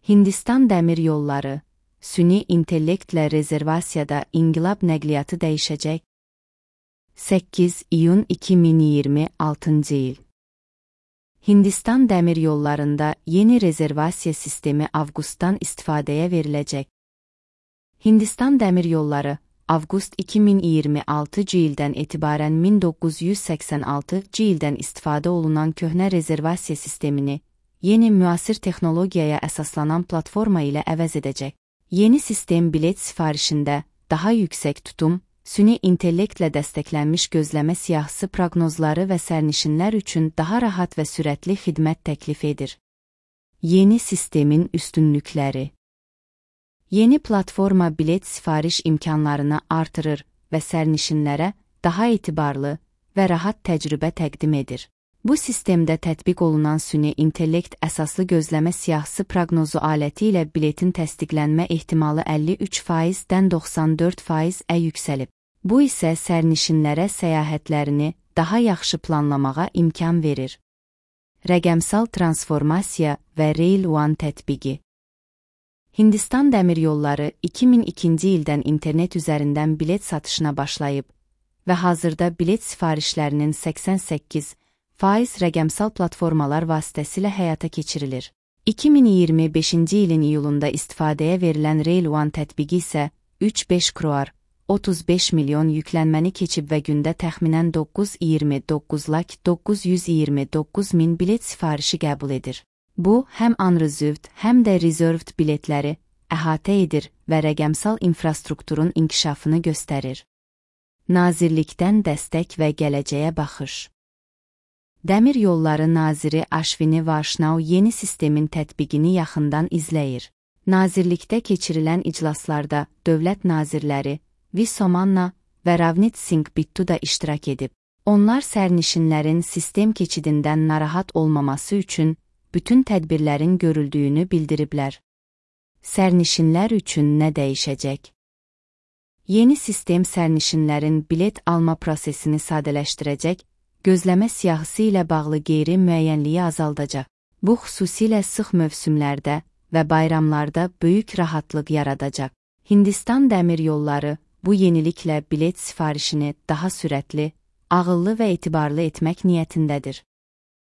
Hindistan Dəmir Yolları, süni intellektlə rezervasiyada inqilab nəqliyyatı dəyişəcək. 8 iyun 2026 il. Hindistan Dəmir Yollarında yeni rezervasiya sistemi avqustdan istifadəyə veriləcək. Hindistan Dəmir Yolları, avqust 2026 ildən etibarən 1986 ildən istifadə olunan köhnə rezervasiya sistemini yeni müasir texnologiyaya əsaslanan platforma ilə əvəz edəcək. Yeni sistem bilet sifarişində daha yüksək tutum, süni intellektlə dəstəklənmiş gözləmə siyahısı proqnozları və sərnişinlər üçün daha rahat və sürətli xidmət təklif edir. Yeni sistemin üstünlükləri. Yeni platforma bilet sifariş imkanlarını artırır və sərnişinlərə daha etibarlı və rahat təcrübə təqdim edir. Bu sistemdə tətbiq olunan süni intellekt əsaslı gözləmə siyahısı proqnozu aləti ilə biletin təsdiqlənmə ehtimalı 53%-dən 94%-ə yüksəlib. Bu isə sərnişinlərə səyahətlərini daha yaxşı planlamağa imkan verir. Rəqəmsal transformasiya və Rail One tətbiqi. Hindistan Dəmir Yolları 2002-ci ildən internet üzərindən bilet satışına başlayıb və hazırda bilet sifarişlərinin 88% rəqəmsal platformalar vasitəsilə həyata keçirilir. 2025-ci ilin iyulunda istifadəyə verilən Rail One tətbiqi isə 3-5 crore, 35 milyon yüklənməni keçib və gündə təxminən 929 min bilet sifarişi qəbul edir. Bu, həm unreserved, həm də reserved biletləri əhatə edir və rəqəmsal infrastrukturun inkişafını göstərir. Nazirlikdən dəstək və gələcəyə baxış. Dəmir Yolları Naziri Ashwini Vaishnaw yeni sistemin tətbiqini yaxından izləyir. Nazirlikdə keçirilən iclaslarda dövlət nazirləri V. Somanna və Ravneet Singh Bittu da iştirak edib. Onlar sərnişinlərin sistem keçidindən narahat olmaması üçün bütün tədbirlərin görüldüyünü bildiriblər. Sərnişinlər üçün nə dəyişəcək? Yeni sistem sərnişinlərin bilet alma prosesini sadələşdirəcək, gözləmə siyahısı ilə bağlı qeyri-müəyyənliyi azaldacaq. Bu xüsusilə sıx mövsümlərdə və bayramlarda böyük rahatlıq yaradacaq. Hindistan Dəmir Yolları bu yeniliklə bilet sifarişini daha sürətli, ağıllı və etibarlı etmək niyyətindədir.